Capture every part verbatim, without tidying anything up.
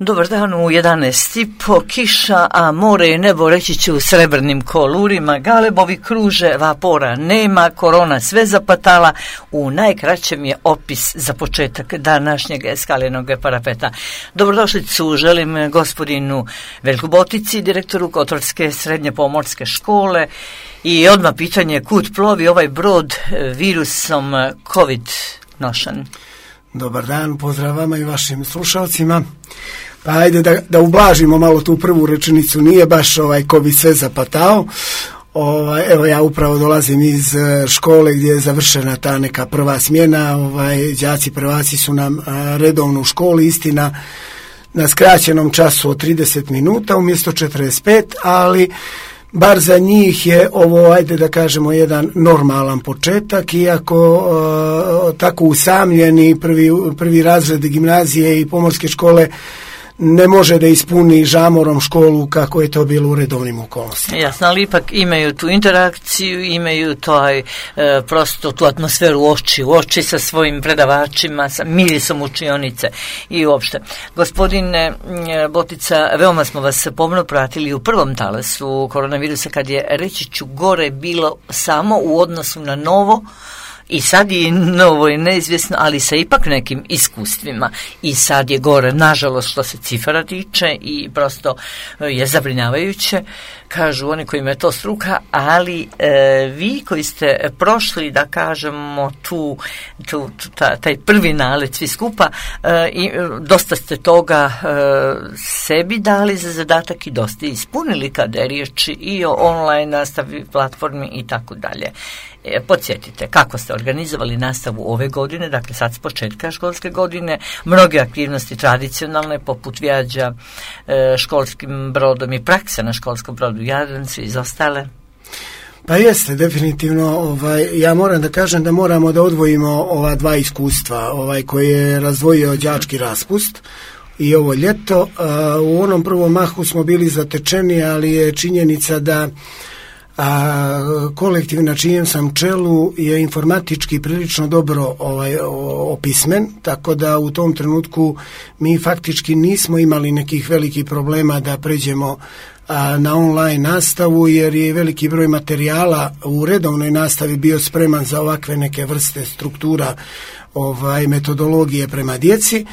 Dobar dan, u jedanaest i po, kiša, a more i nebo reći ću u srebrnim kolurima, galebovi kruže, vapora nema, korona sve zapatala, u najkraćem je opis za početak današnjeg skalenog parapeta. Dobrodošlicu želim gospodinu Veljku Botici, direktoru Kotorske srednje pomorske škole, i odmah pitanje, kud plovi ovaj brod virusom COVID nošan? Dobar dan, pozdrav vama i vašim slušalcima. Pa ajde da, da ublažimo malo tu prvu rečenicu, nije baš ovaj ko bi sve zapatao. Ovaj, evo ja upravo dolazim iz škole gdje je završena ta neka prva smjena, ovaj, đaci prvaci su nam a, redovno u školi, istina na skraćenom času od trideset minuta umjesto četrdeset pet, ali bar za njih je ovo, ajde da kažemo, jedan normalan početak, iako uh, tako usamljeni prvi, prvi razred gimnazije i pomorske škole ne može da ispuni žamorom školu kako je to bilo u redovnim okolnostima. Jasno, ali ipak imaju tu interakciju, imaju taj, e, prosto tu atmosferu oči u oči sa svojim predavačima, sa mirisom učionice i uopšte. Gospodine Botica, veoma smo vas pomno pratili u prvom talasu koronavirusa, kad je, reći ću, gore bilo samo u odnosu na novo, i sad je novo i neizvjesno, ali sa ipak nekim iskustvima. I sad je gore, nažalost, što se cifara tiče, i prosto je zabrinjavajuće, kažu oni kojima je to struka, ali e, vi koji ste prošli, da kažemo, tu, tu, tu ta, taj prvi nalet svi skupa, e, i dosta ste toga e, sebi dali za zadatak i dosta ispunili kada je riječ i o online nastavi, platformi i tako dalje. E, podsjetite, kako ste organizovali nastavu ove godine, dakle sad s početka školske godine, mnoge aktivnosti tradicionalne, poput vijađa e, školskim brodom i prakse na školskom brodu Jadran su izostale? Pa jeste, definitivno. Ovaj, ja moram da kažem da moramo da odvojimo ova dva iskustva, ovaj koji je razdvojio đački raspust i ovo ljeto. A, u onom prvom mahu smo bili zatečeni, ali je činjenica da a kolektiv na čijem sam čelu je informatički prilično dobro ovaj, opismen, tako da u tom trenutku mi faktički nismo imali nekih velikih problema da pređemo a, na online nastavu, jer je veliki broj materijala u redovnoj nastavi bio spreman za ovakve neke vrste struktura, ovaj, metodologije prema djeci.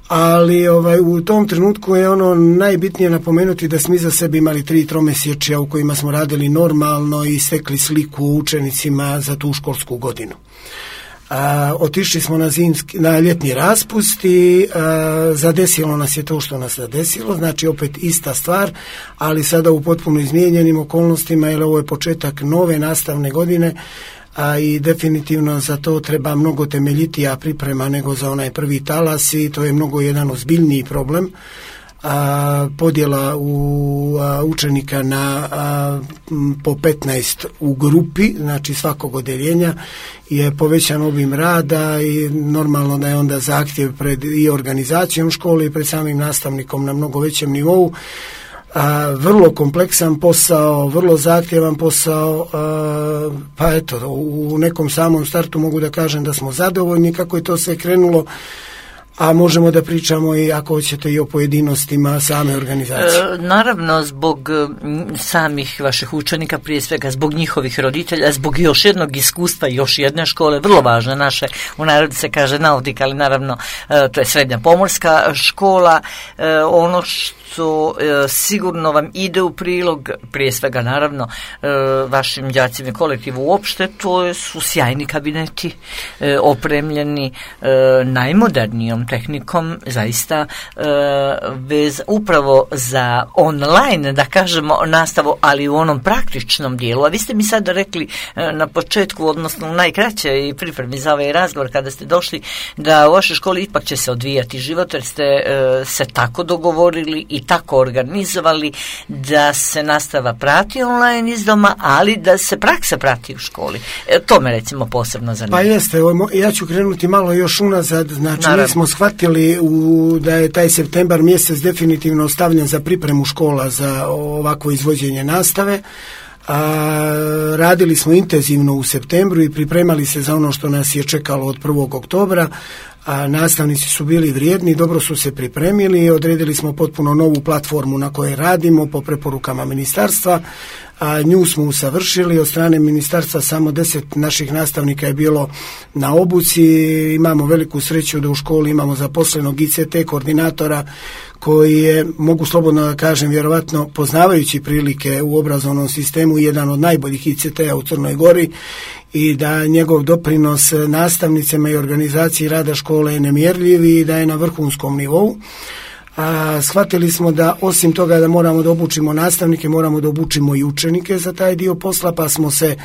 Ali ovaj, u tom trenutku je ono najbitnije napomenuti da smo iza sebe imali tri tromjesečja u kojima smo radili normalno i stekli sliku učenicima za tu školsku godinu. A, otišli smo na, zimski, na ljetni raspust i a, zadesilo nas je to što nas zadesilo, znači opet ista stvar, ali sada u potpuno izmijenjenim okolnostima, jer ovo je početak nove nastavne godine, a i definitivno za to treba mnogo temeljitija priprema nego za onaj prvi talas, i to je mnogo jedan ozbiljniji problem. A, podjela u a, učenika na a, po petnaest u grupi, znači svakog odeljenja, je povećan obim rada i normalno da je onda zahtjev pred i organizacijom škole i pred samim nastavnikom na mnogo većem nivou. A, vrlo kompleksan posao, vrlo zahtjevan posao, a, pa eto, u nekom samom startu mogu da kažem da smo zadovoljni kako je to sve krenulo, a možemo da pričamo i, ako hoćete, i o pojedinostima same organizacije. E, naravno, zbog samih vaših učenika, prije svega zbog njihovih roditelja, zbog još jednog iskustva, još jedne škole, vrlo važne naše, u narodu se kaže nautika, ali naravno e, to je srednja pomorska škola, e, ono što e, sigurno vam ide u prilog, prije svega naravno e, vašim đacima i kolektivu uopšte, to su sjajni kabineti, e, opremljeni e, najmodernijom tehnikom, zaista e, vez upravo za online, da kažemo, nastavu, ali u onom praktičnom dijelu. A vi ste mi sada rekli e, na početku, odnosno u najkraćoj pripremi za ovaj razgovor, kada ste došli, da u vašoj školi ipak će se odvijati život, jer ste e, se tako dogovorili i tako organizovali da se nastava prati online iz doma, ali da se praksa prati u školi. E, to me recimo posebno zanima. Pa jeste, ja ću krenuti malo još unazad, znači Naravno. Mi smo shvatili u, da je taj septembar mjesec definitivno ostavljen za pripremu škola za ovakvo izvođenje nastave. A, radili smo intenzivno u septembru i pripremali se za ono što nas je čekalo od prvog oktobra. a nastavnici su bili vrijedni, dobro su se pripremili, odredili smo potpuno novu platformu na kojoj radimo po preporukama ministarstva, a nju smo usavršili. Od strane ministarstva samo deset naših nastavnika je bilo na obuci. Imamo veliku sreću da u školi imamo zaposlenog I C T koordinatora koji je, mogu slobodno da kažem, vjerovatno poznavajući prilike u obrazovnom sistemu, jedan od najboljih I C T-a u Crnoj Gori, i da njegov doprinos nastavnicama i organizaciji rada škole je nemjerljiv i da je na vrhunskom nivou. A shvatili smo da osim toga da moramo da obučimo nastavnike, moramo da obučimo i učenike za taj dio posla, pa smo se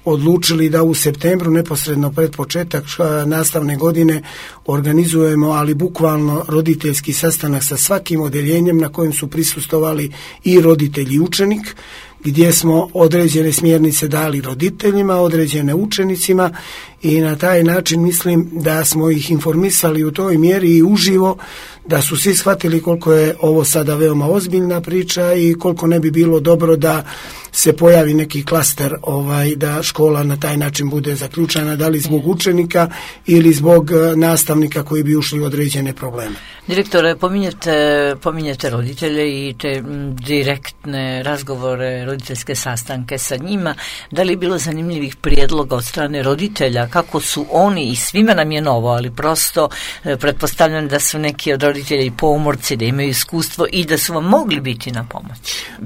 odlučili da u septembru, neposredno pred početak nastavne godine, organizujemo, ali bukvalno roditeljski sastanak sa svakim odeljenjem na kojem su prisustvovali i roditelj i učenik, gdje smo određene smjernice dali roditeljima, određene učenicima, i na taj način mislim da smo ih informisali u toj mjeri i uživo, da su svi shvatili koliko je ovo sada veoma ozbiljna priča i koliko ne bi bilo dobro da se pojavi neki klaster, ovaj, da škola na taj način bude zaključana, da li zbog učenika ili zbog nastavnika koji bi ušli u određene probleme. Direktore, pominjete, pominjete roditelje i te direktne razgovore, roditeljske sastanke sa njima. Da li je bilo zanimljivih prijedloga od strane roditelja, kako su oni, i svima nam je novo, ali prosto e, pretpostavljam da su neki od roditelja i pomorci, da imaju iskustvo i da su vam mogli biti na pomoć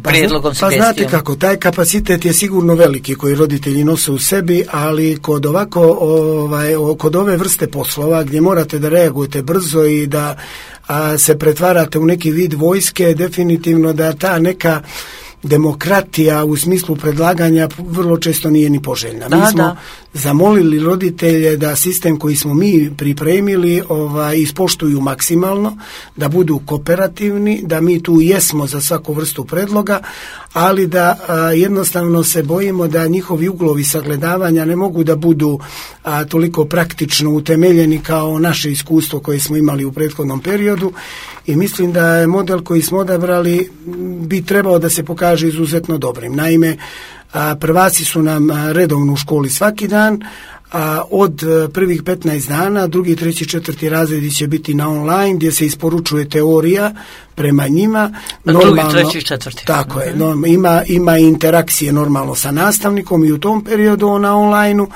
prijedlogom, pa, pa znate kako, taj kapacitet je sigurno veliki koji roditelji nose u sebi, ali kod ovako, ovaj, kod ove vrste poslova gdje morate da reagujete brzo i da a, se pretvarate u neki vid vojske, definitivno da ta neka demokratija u smislu predlaganja vrlo često nije ni poželjna. Da, mi smo da. zamolili roditelje da sistem koji smo mi pripremili ovaj, ispoštuju maksimalno, da budu kooperativni, da mi tu jesmo za svaku vrstu predloga, ali da a, jednostavno se bojimo da njihovi uglovi sagledavanja ne mogu da budu a, toliko praktično utemeljeni kao naše iskustvo koje smo imali u prethodnom periodu, i mislim da je model koji smo odabrali bi trebao da se pokaže izuzetno dobrim. Naime, a, prvaci su nam redovno u školi svaki dan, a od prvih petnaest dana, drugi, treći, četvrti razredi će biti na online, gdje se isporučuje teorija prema njima. Normalno, drugi, treći, četvrti. Tako je, no, ima, ima interakcije normalno sa nastavnikom i u tom periodu na online-u,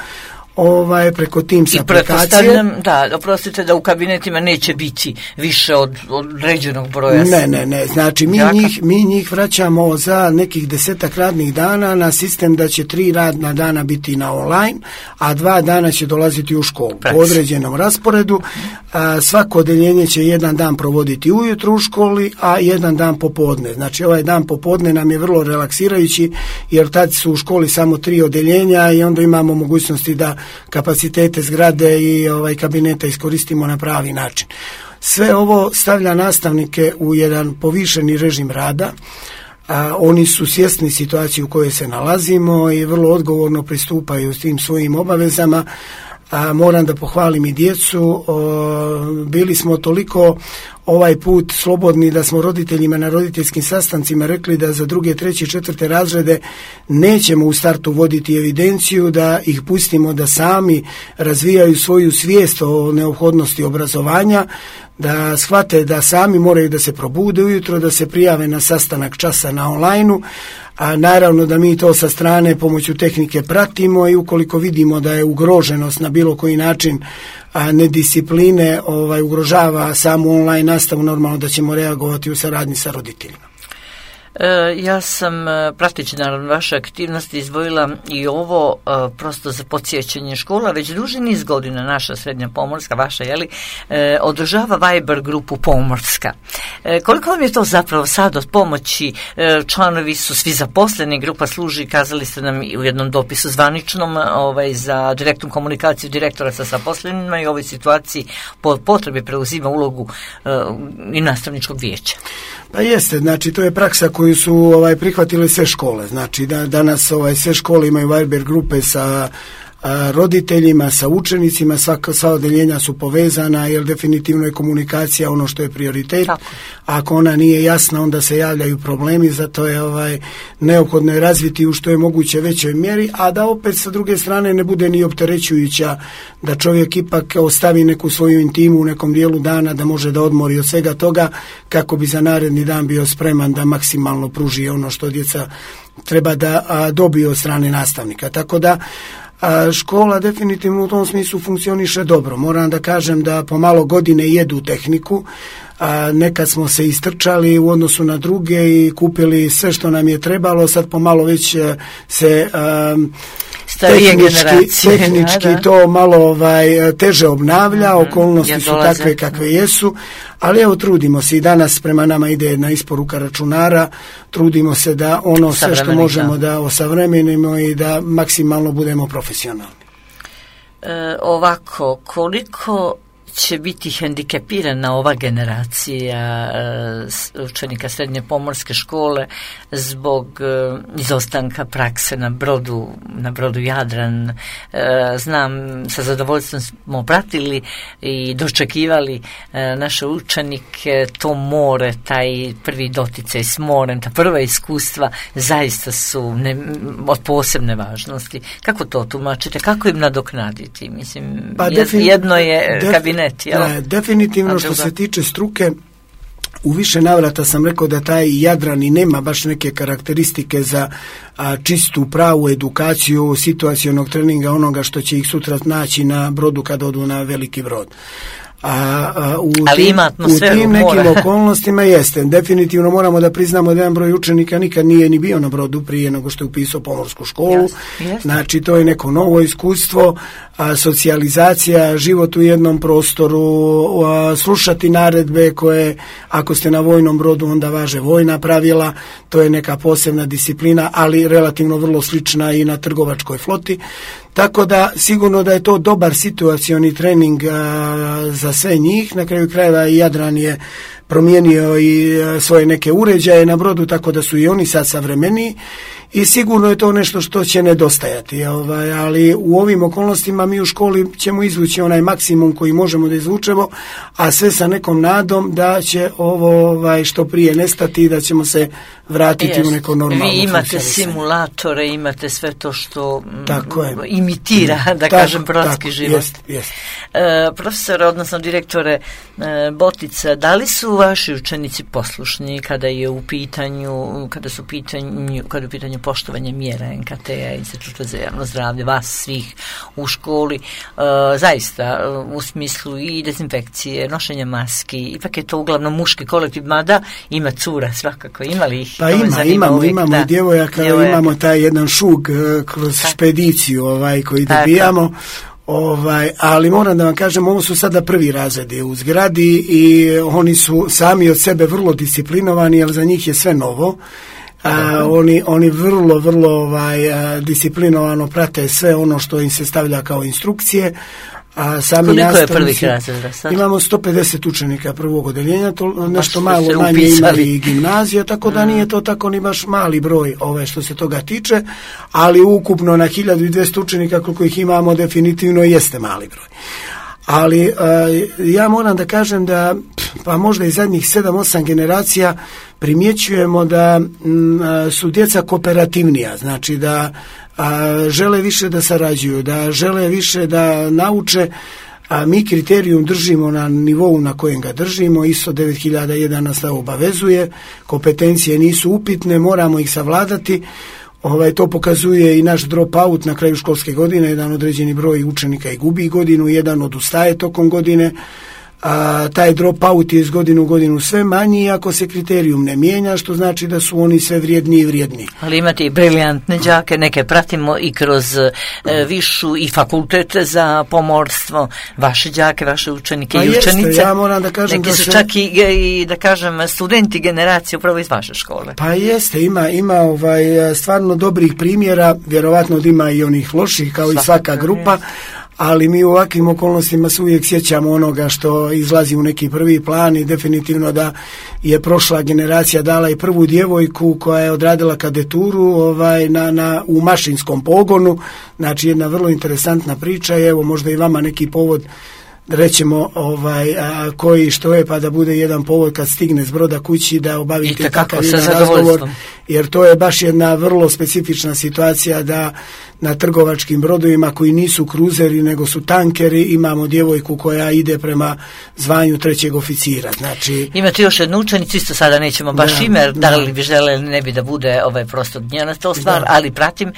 ovaj, preko Teams aplikacije. Da, oprostite da u kabinetima neće biti više od određenog broja. Ne, ne, ne, znači mi njih, mi njih vraćamo za nekih desetak radnih dana na sistem da će tri radna dana biti na online, a dva dana će dolaziti u školu. Preci. Po određenom rasporedu. A, svako odeljenje će jedan dan provoditi ujutro u školi, a jedan dan popodne. Znači ovaj dan popodne nam je vrlo relaksirajući, jer tad su u školi samo tri odeljenja i onda imamo mogućnosti da kapacitete zgrade i ovaj kabineta iskoristimo na pravi način. Sve ovo stavlja nastavnike u jedan povišeni režim rada. A, oni su svjesni situacije u kojoj se nalazimo i vrlo odgovorno pristupaju s tim svojim obavezama. A, moram da pohvalim i djecu. O, bili smo toliko ovaj put slobodni da smo roditeljima na roditeljskim sastancima rekli da za druge, treće, četvrte razrede nećemo u startu voditi evidenciju, da ih pustimo da sami razvijaju svoju svijest o neophodnosti obrazovanja, da shvate da sami moraju da se probude ujutro, da se prijave na sastanak časa na online-u, a naravno da mi to sa strane pomoću tehnike pratimo i ukoliko vidimo da je ugroženost na bilo koji način a nediscipline ovaj, ugrožava samu online nastavu, normalno da ćemo reagovati u saradnji sa roditeljima. E, ja sam, prateći naravno vaše aktivnosti, izdvojila i ovo e, prosto za podsjećanje škola. Već duži niz godina naša srednja pomorska, vaša, jeli, e, održava Viber grupu Pomorska. E, koliko vam je to zapravo sad od pomoći? E, članovi su svi zaposleni, grupa služi, kazali ste nam u jednom dopisu zvaničnom, ovaj, za direktnu komunikaciju direktora sa zaposlenima i u ovoj situaciji po potrebi preuzima ulogu e, i nastavničkog vijeća. Pa jeste, znači to je praksa koju su ovaj, prihvatile sve škole. Znači da danas ovaj, sve škole imaju Viber grupe sa a, roditeljima, sa učenicima, svaka, sva odeljenja su povezana, jer definitivno je komunikacija ono što je prioritet. Tako. Ako ona nije jasna, onda se javljaju problemi, zato je ovaj, neophodno je razviti u što je moguće većoj mjeri, a da opet sa druge strane ne bude ni opterećujuća, da čovjek ipak ostavi neku svoju intimu u nekom dijelu dana, da može da odmori od svega toga, kako bi za naredni dan bio spreman da maksimalno pruži ono što djeca treba da a, dobiju od strane nastavnika. Tako da a, škola definitivno u tom smislu funkcioniše dobro. Moram da kažem da pomalo godine jedu tehniku, a nekad smo se istrčali u odnosu na druge i kupili sve što nam je trebalo, sad pomalo već se a, tehnički, tehnički da, da. to malo ovaj, teže obnavlja, mm-hmm. okolnosti ja su takve kakve jesu, ali evo trudimo se i danas prema nama ide jedna isporuka računara, trudimo se da ono sve što možemo da osavremenimo i da maksimalno budemo profesionalni. E, ovako, koliko će biti hendikepirana ova generacija uh, učenika srednje pomorske škole zbog uh, izostanka prakse na brodu, na brodu Jadran. Uh, znam, sa zadovoljstvom smo pratili i dočekivali uh, naše učenike, to more, taj prvi doticaj s morem, ta prva iskustva zaista su ne, od posebne važnosti. Kako to tumačite? Kako im nadoknaditi? Mislim, pa defin, jedno je def, kabinet. Da, definitivno što se tiče struke, u više navrata sam rekao da taj Jadran i nema baš neke karakteristike za a, čistu pravu edukaciju situacionog treninga, onoga što će ih sutra naći na brodu kad odu na veliki brod. A, a u, Ali tim, u tim nekim mora. okolnostima jeste. Definitivno moramo da priznamo da jedan broj učenika nikad nije ni bio na brodu prije nego što je upisao pomorsku školu. Yes, yes. Znači to je neko novo iskustvo, a, socijalizacija, život u jednom prostoru, a, slušati naredbe koje ako ste na vojnom brodu onda važe vojna pravila, to je neka posebna disciplina, ali relativno vrlo slična i na trgovačkoj floti. Tako da sigurno da je to dobar situacioni trening a, za sve njih. Na kraju krajeva i Jadran je promijenio i a, svoje neke uređaje na brodu, tako da su i oni sad savremeniji i sigurno je to nešto što će nedostajati. Ovaj, ali u ovim okolnostima mi u školi ćemo izvući onaj maksimum koji možemo da izvučemo, a sve sa nekom nadom da će ovo ovaj, što prije nestati i da ćemo se vratiti Jest. u neko normalno Vi imate simulatore, imate sve to što m, imitira, da tako, kažem, brodski život. Jest, jest. E, profesor, odnosno direktore e, Botica, da li su vaši učenici poslušni kada je u pitanju, kada su u pitanju, kada je u pitanju poštovanje mjera N K T-a, Instituta za javno zdravlje, vas svih u školi, e, zaista u smislu i dezinfekcije, nošenja maski, ipak je to uglavnom muški kolektiv, mada ima cura svakako, ima li ih? Pa ima, imamo, uvijek, imamo i djevojaka, djevojaka, imamo taj jedan šug uh, kroz tak. špediciju ovaj, koji tak. dobijamo. Ovaj, ali moram da vam kažem, ovo su sada prvi razredi u zgradi i oni su sami od sebe vrlo disciplinovani, jer za njih je sve novo. A, oni, oni vrlo, vrlo ovaj, a, disciplinovano prate sve ono što im se stavlja kao instrukcije. A sami Koliko je prvih razreda sad? Imamo sto pedeset učenika prvog odeljenja, to nešto malo manje ima i gimnazija, tako da mm. nije to tako ni baš mali broj ove što se toga tiče, ali ukupno na hiljadu dvjesto učenika koliko ih imamo definitivno jeste mali broj. Ali a, ja moram da kažem da pa možda i zadnjih sedam osam generacija primjećujemo da m, su djeca kooperativnija, znači da a, žele više da sarađuju, da žele više da nauče, a mi kriterijum držimo na nivou na kojem ga držimo, I S O devet hiljada jedan nas obavezuje, kompetencije nisu upitne, moramo ih savladati. Ovaj, to pokazuje i naš dropout na kraju školske godine, jedan određeni broj učenika i gubi godinu, jedan odustaje tokom godine, a taj dropout je iz godine u godinu sve manji ako se kriterijum ne mijenja, što znači da su oni sve vrijedniji i vrijedniji. Ali imate i briljantne đake, neke pratimo i kroz e, višu i fakultete za pomorstvo, vaše đake, vaše učenike pa i jeste, učenice. Ja moram da kažem neki da su se... čak i, i da kažem studenti generacije upravo iz vaše škole. Pa jeste, ima, ima ovaj, stvarno dobrih primjera, vjerovatno da ima i onih loših kao svaka i svaka grupa, jest. ali mi u ovakvim okolnostima se uvijek sjećamo onoga što izlazi u neki prvi plan i definitivno da je prošla generacija dala i prvu djevojku koja je odradila kadeturu ovaj, na, na, u mašinskom pogonu, znači jedna vrlo interesantna priča i evo možda i vama neki povod rećemo ovaj, a, koji što je pa da bude jedan povod kad stigne s broda kući da obavite takav jedan razgovor, jer to je baš jedna vrlo specifična situacija da na trgovačkim brodovima koji nisu kruzeri nego su tankeri imamo djevojku koja ide prema zvanju trećeg oficira. Znači, imate još jednu učenicu, isto sada nećemo baš da, ime, da li bi žele ne bi da bude ovaj prosto njena to stvar, da. Ali pratim e,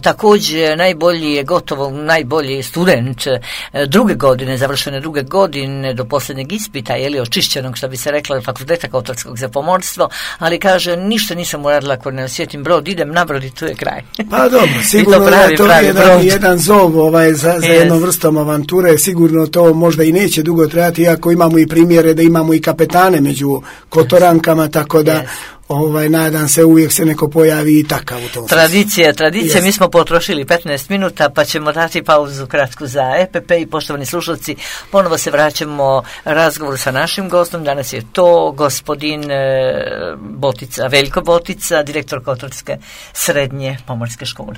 također najbolji je gotovo najbolji student e, druge godine, završene druge godine do posljednjeg ispita, je li očišćenog što bi se reklo fakulteta Kotorskog za pomorstvo, ali kaže ništa nisam uradila ako ne osjetim brod, idem na brod i tu je kraj. Pa dobro, sigurno pravi, to je jedan, jedan zov ovaj, za, za yes. jednom vrstom avanture, sigurno to možda i neće dugo trajati, iako imamo i primjere da imamo i kapetane među Kotorankama, tako da yes. ovaj, nadam se uvijek se neko pojavi i takav u tom tradicija, tradicija, yes. Mi smo potrošili petnaest minuta pa ćemo dati pauzu kratku za E P P i poštovani slušalci, ponovo se vraćamo razgovoru sa našim gostom, danas je to gospodin Botica, Veljko Botica, direktor Kotorske srednje pomorske škole.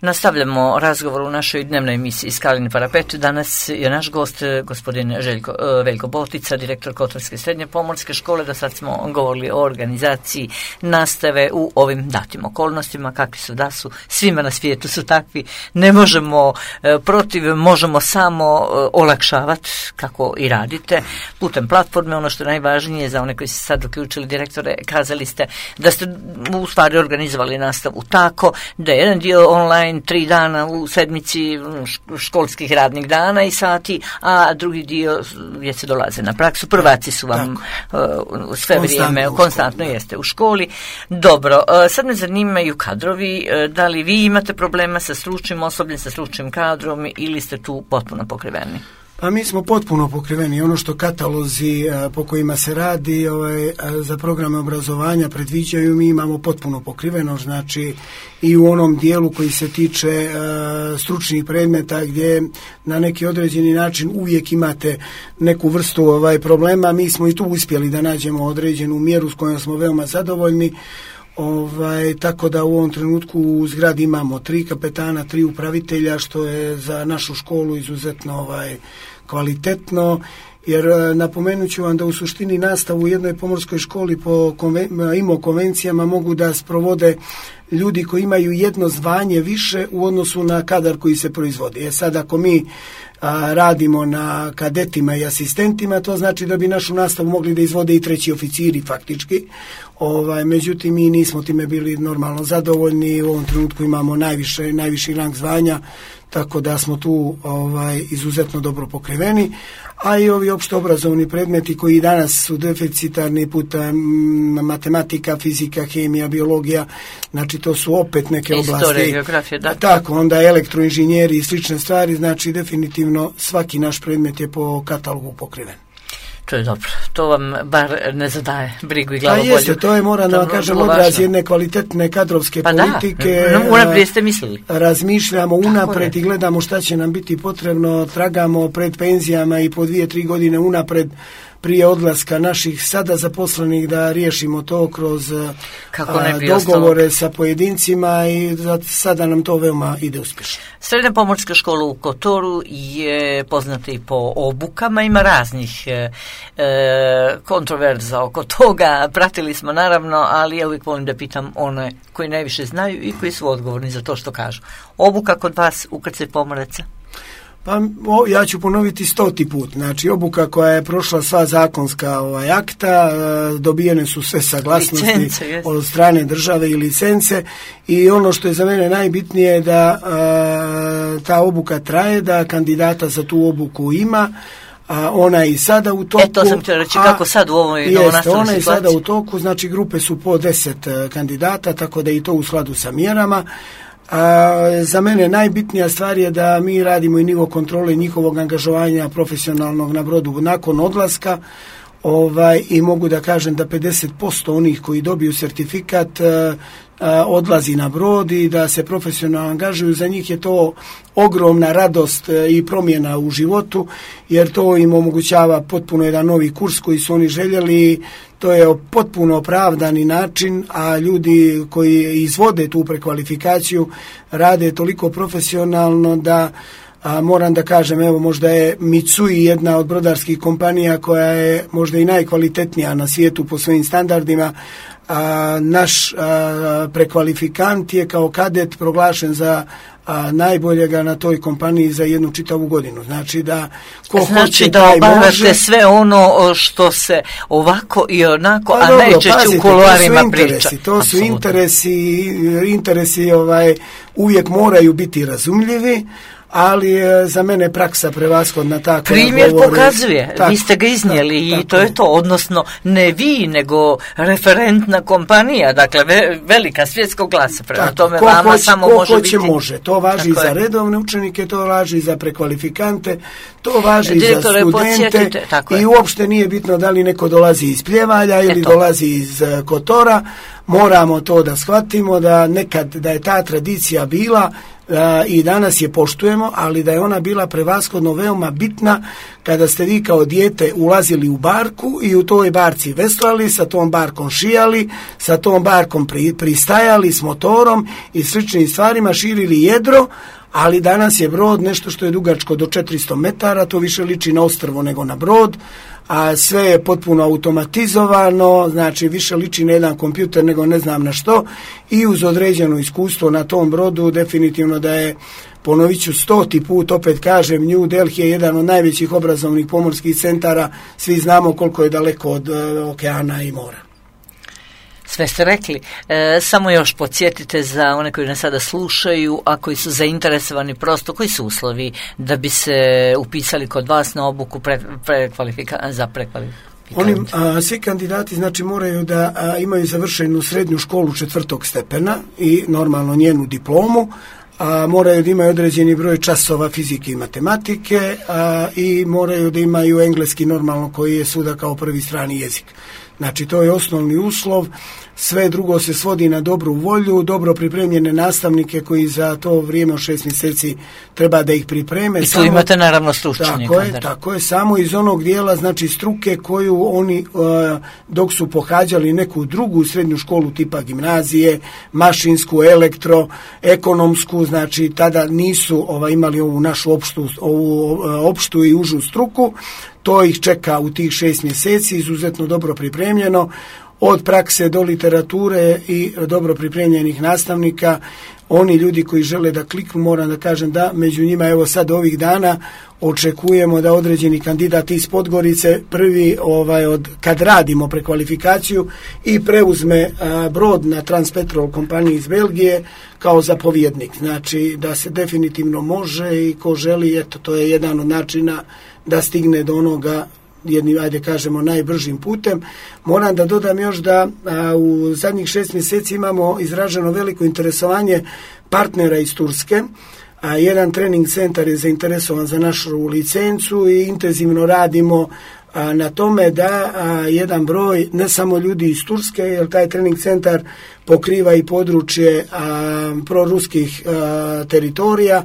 Nastavljamo razgovor u našoj dnevnoj emisiji Skalin parapet. Danas je naš gost gospodin Željko, Veljko Botica, direktor Kotorske srednje pomorske škole. Do sad smo govorili o organizaciji nastave u ovim datim okolnostima, kakvi su da su, svima na svijetu su takvi. Ne možemo protiv, možemo samo olakšavati kako i radite putem platforme. Ono što je najvažnije za one koji se sad uključili, direktore, kazali ste da ste u stvari organizovali nastavu tako da je jedan dio online tri dana u sedmici školskih radnih dana i sati, a drugi dio gdje se dolaze na praksu. Prvaci su vam uh, sve vrijeme, konstantno jeste u školi. Dobro, uh, sad me zanimaju kadrovi, uh, da li vi imate problema sa stručnim osobljem, sa stručnim kadrom ili ste tu potpuno pokriveni? Pa mi smo potpuno pokriveni. Ono što katalozi a, po kojima se radi ovaj, a, za programe obrazovanja predviđaju, mi imamo potpuno pokriveno, znači i u onom dijelu koji se tiče a, stručnih predmeta gdje na neki određeni način uvijek imate neku vrstu ovaj, problema, mi smo i tu uspjeli da nađemo određenu mjeru s kojom smo veoma zadovoljni. Ovaj, tako da u ovom trenutku u zgradi imamo tri kapetana, tri upravitelja, što je za našu školu izuzetno ovaj, kvalitetno, jer napomenut ću vam da u suštini nastavu u jednoj pomorskoj školi po konven, I M O konvencijama mogu da sprovode ljudi koji imaju jedno zvanje više u odnosu na kadar koji se proizvodi. E sad ako mi a, radimo na kadetima i asistentima, to znači da bi našu nastavu mogli da izvode i treći oficiri faktički. Ovaj, međutim, mi nismo time bili normalno zadovoljni, u ovom trenutku imamo najviše, najviši rang zvanja, tako da smo tu ovaj, izuzetno dobro pokriveni, a i ovi opšte obrazovni predmeti koji danas su deficitarni puta matematika, fizika, hemija, biologija, znači to su opet neke oblasti. Istorija, geografija, da. Tako, onda elektroinženjeri i slične stvari, znači definitivno svaki naš predmet je po katalogu pokriven. To je dobro, to vam bar ne zadaje brigu i glavobolju. Pa jeste, to je, moram da vam kažem, odraz jedne kvalitetne kadrovske pa politike. Da, unaprijed ste mislili. Razmišljamo unapred i gledamo šta će nam biti potrebno, tragamo pred penzijama i po dvije, tri godine unapred prije odlaska naših sada zaposlenih da riješimo to kroz a, dogovore sa pojedincima i za sada nam to veoma ide uspješno. Srednja pomorska škola u Kotoru je poznata i po obukama, ima raznih e, kontroverza oko toga, pratili smo naravno, ali ja uvijek volim da pitam one koji najviše znaju i koji su odgovorni za to što kažu. Obuka kod vas ukrcaj pomoraca? Pa o, ja ću ponoviti stoti put. Znači, obuka koja je prošla sva zakonska ovaj, akta, e, dobijene su sve saglasnosti licence, od strane države i licence i ono što je za mene najbitnije da e, ta obuka traje, da kandidata za tu obuku ima, a ona je i sada u toku. E, to sam htio reći, a, kako sad u ovoj novonastaloj situaciji? Ona je sada u toku, znači grupe su po deset kandidata, tako da i to u skladu sa mjerama. A, za mene najbitnija stvar je da mi radimo i nivo kontrole njihovog angažovanja profesionalnog na brodu nakon odlaska, ovaj, i mogu da kažem da pedeset posto onih koji dobiju sertifikat a, a, odlazi na brod i da se profesionalno angažuju. Za njih je to ogromna radost i promjena u životu, jer to im omogućava potpuno jedan novi kurs koji su oni željeli. To je potpuno opravdani način, a ljudi koji izvode tu prekvalifikaciju rade toliko profesionalno da a, moram da kažem, evo možda je Mitsui jedna od brodarskih kompanija koja je možda i najkvalitetnija na svijetu po svojim standardima. A, naš a, prekvalifikant je kao kadet proglašen za a, najboljega na toj kompaniji za jednu čitavu godinu. Znači da ko znači hoće da taj obavljate može, sve ono što se ovako i onako, pa a dobro, najčešće pazite, u kuloarima to su priča. interesi, to su Apsolutno. interesi, interesi ovaj, uvijek moraju biti razumljivi, ali je za mene praksa prevashodna tako. Primjer govore, pokazuje, tako, vi ste ga iznijeli tako, i to je to, odnosno ne vi, nego referentna kompanija, dakle ve, velika svjetskog glasa, prema tako, tome ko vama hoće, samo ko može hoće, biti. može. To važi i za je. redovne učenike, to važi i za prekvalifikante, to važi i za Direktore, studente tako i je. uopšte nije bitno da li neko dolazi iz Pljevalja ili Eto. dolazi iz uh, Kotora. Moramo to da shvatimo, da nekad da je ta tradicija bila uh, i danas je poštujemo, ali da je ona bila prevashodno veoma bitna kada ste vi kao dijete ulazili u barku i u toj barci veslali, sa tom barkom šijali, sa tom barkom pri, pristajali s motorom i sličnim stvarima, širili jedro, ali danas je brod nešto što je dugačko do četiristo metara, to više liči na ostrvo nego na brod, a sve je potpuno automatizovano, znači više liči na jedan kompjuter nego ne znam na što, i uz određeno iskustvo na tom brodu definitivno da je, ponovit ću stoti put, opet kažem, New Delhi je jedan od najvećih obrazovnih pomorskih centara, svi znamo koliko je daleko od uh, okeana i mora. Sve ste rekli. E, samo još podsjetite za one koji nas sada slušaju, a koji su zainteresovani prosto, koji su uslovi da bi se upisali kod vas na obuku pre, prekvalifika, za prekvalifikaciju? Oni, a, svi kandidati znači moraju da a, imaju završenu srednju školu četvrtog stepena i normalno njenu diplomu, a moraju da imaju određeni broj časova fizike i matematike a, i moraju da imaju engleski normalno koji je svuda kao prvi strani jezik. Znači to je osnovni uslov, sve drugo se svodi na dobru volju, dobro pripremljene nastavnike koji za to vrijeme od šest mjeseci treba da ih pripreme. I tu samo, imate naravno stručnjaka. Tako je, tako je, samo iz onog dijela znači struke koju oni uh, dok su pohađali neku drugu srednju školu tipa gimnazije, mašinsku, elektro, ekonomsku, znači tada nisu ovaj, imali ovu našu opštu, ovu uh, opštu i užu struku. To ih čeka u tih šest mjeseci, izuzetno dobro pripremljeno, od prakse do literature i dobro pripremljenih nastavnika. Oni ljudi koji žele da kliknu, moram da kažem da među njima, evo sad ovih dana, očekujemo da određeni kandidat iz Podgorice prvi ovaj od kad radimo prekvalifikaciju i preuzme a, brod na Transpetrol kompaniji iz Belgije kao zapovjednik. Znači da se definitivno može i ko želi, eto to je jedan od načina da stigne do onoga jednim, ajde kažemo, najbržim putem. Moram da dodam još da a, u zadnjih šest mjeseci imamo izraženo veliko interesovanje partnera iz Turske. A, jedan trening centar je zainteresovan za našu licencu i intenzivno radimo a, na tome da a, jedan broj, ne samo ljudi iz Turske, jer taj trening centar pokriva i područje a, proruskih a, teritorija,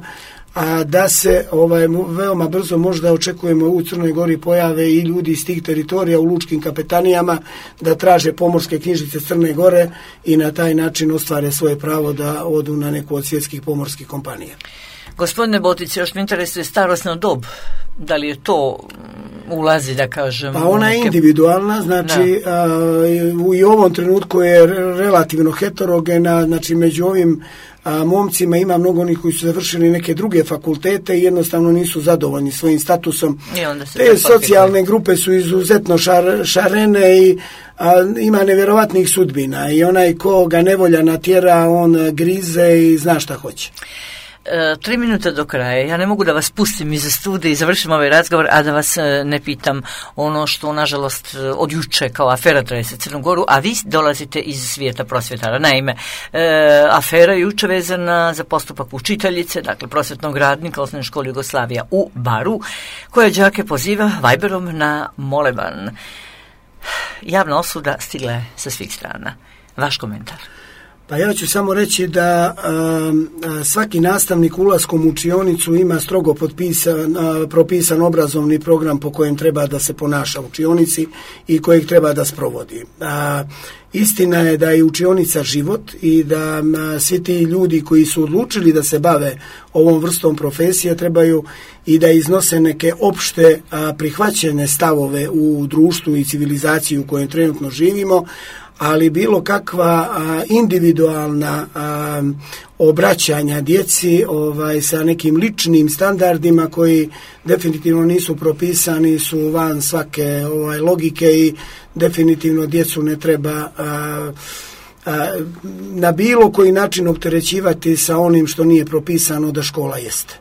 a da se ovaj, veoma brzo možda očekujemo u Crnoj Gori pojave i ljudi iz tih teritorija u lučkim kapetanijama da traže pomorske knjižice Crne Gore i na taj način ostvare svoje pravo da odu na neku od svjetskih pomorskih kompanija. Gospodine Botic, još me interesuje starosna dob. Da li je to ulazi, da kažem? Pa ona je neke... individualna, znači a, u i ovom trenutku je relativno heterogena, znači među ovim a, momcima ima mnogo onih koji su završili neke druge fakultete i jednostavno nisu zadovoljni svojim statusom. Te socijalne grupe su izuzetno šar, šarene i a, ima nevjerovatnih sudbina i onaj ko ga nevolja natjera, on grize i zna šta hoće. E, tri minuta do kraja. Ja ne mogu da vas pustim iz studija i završim ovaj razgovor, a da vas e, ne pitam ono što, nažalost, od juče kao afera trese Crnu Goru, a vi dolazite iz svijeta prosvjetara. Naime, e, afera je juče vezana za postupak učiteljice, dakle prosvjetnog radnika Osnovne škole Jugoslavija u Baru, koja đake poziva Viberom na moleban. Javna osuda stigla je sa svih strana. Vaš komentar? Pa ja ću samo reći da a, svaki nastavnik ulaskom u učionicu ima strogo potpisan, a, propisan obrazovni program po kojem treba da se ponaša u učionici i kojeg treba da sprovodi. A, istina je da je učionica život i da a, svi ti ljudi koji su odlučili da se bave ovom vrstom profesije trebaju i da iznose neke opšte a, prihvaćene stavove u društvu i civilizaciji u kojem trenutno živimo, ali bilo kakva a, individualna a, obraćanja djeci ovaj, sa nekim ličnim standardima koji definitivno nisu propisani, su van svake ovaj, logike i definitivno djecu ne treba a, a, na bilo koji način opterećivati sa onim što nije propisano da škola jeste.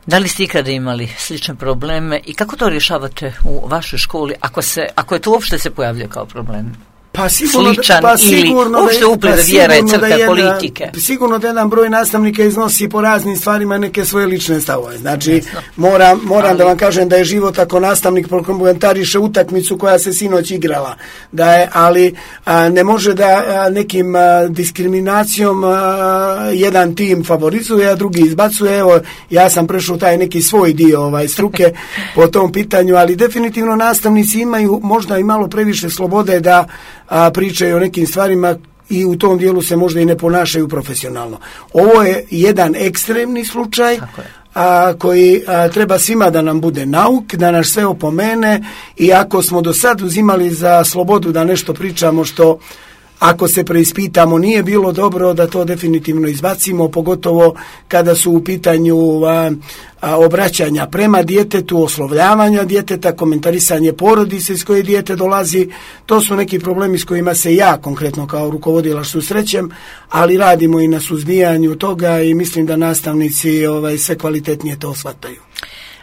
Da li ste ikada imali slične probleme i kako to rješavate u vašoj školi, ako, se, ako je to uopšte se pojavlja kao problem? Pa sigurno, sličan pa sigurno ili uopšte upliv vjere, crkve, politike. Sigurno da jedan broj nastavnika iznosi po raznim stvarima neke svoje lične stavove. Znači, Jasno. moram, moram ali... da vam kažem da je život ako nastavnik prokomentariše utakmicu koja se sinoć igrala. Da je, ali a, ne može da a, nekim a, diskriminacijom a, jedan tim favorizuje, a drugi izbacuje. Evo, ja sam prešao taj neki svoj dio ovaj, struke po tom pitanju, ali definitivno nastavnici imaju možda i malo previše slobode da a pričaju o nekim stvarima i u tom dijelu se možda i ne ponašaju profesionalno. Ovo je jedan ekstremni slučaj a, koji a, treba svima da nam bude nauk, da nas sve opomene i ako smo do sad uzimali za slobodu da nešto pričamo što ako se preispitamo nije bilo dobro, da to definitivno izbacimo, pogotovo kada su u pitanju a, a, obraćanja prema djetetu, oslovljavanja djeteta, komentarisanje porodice iz koje dijete dolazi. To su neki problemi s kojima se ja konkretno kao rukovodilac susrećem, ali radimo i na suzbijanju toga i mislim da nastavnici ovaj, sve kvalitetnije to shvataju.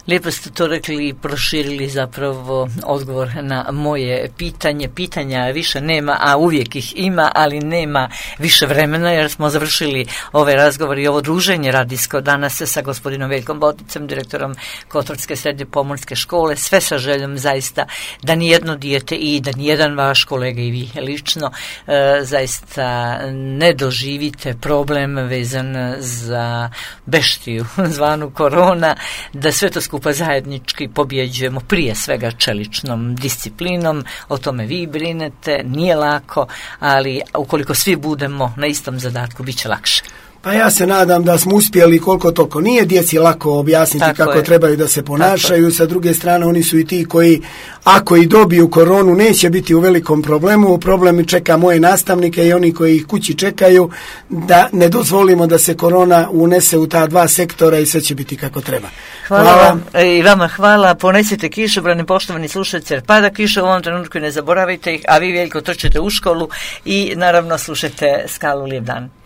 Lijepo ste to rekli i proširili zapravo odgovor na moje pitanje. Pitanja više nema, a uvijek ih ima, ali nema više vremena jer smo završili ovaj razgovor i ovo druženje radijsko danas sa gospodinom Veljkom Boticem, direktorom Kotorske srednje pomorske škole, sve sa željom zaista da nijedno dijete i da nijedan vaš kolega i vi lično e, zaista ne doživite problem vezan za beštiju zvanu korona, da sve to skupa zajednički pobjeđujemo prije svega čeličnom disciplinom, o tome vi brinete, nije lako, ali ukoliko svi budemo na istom zadatku, bit će lakše. Pa ja se nadam da smo uspjeli koliko toliko. Nije djeci lako objasniti tako kako je. Trebaju da se ponašaju. Sa druge strane, oni su i ti koji, ako i dobiju koronu, neće biti u velikom problemu. Problem čeka moje nastavnike i oni koji ih kući čekaju, da ne dozvolimo da se korona unese u ta dva sektora i sve će biti kako treba. Hvala, hvala. Vam. I vama hvala. Ponesite kišobrane, poštovani slušatelji, jer pada kiša u ovom trenutku, ne zaboravite ih, a vi Veljko trčite u školu i naravno slušajte Skalu. Lijep dan.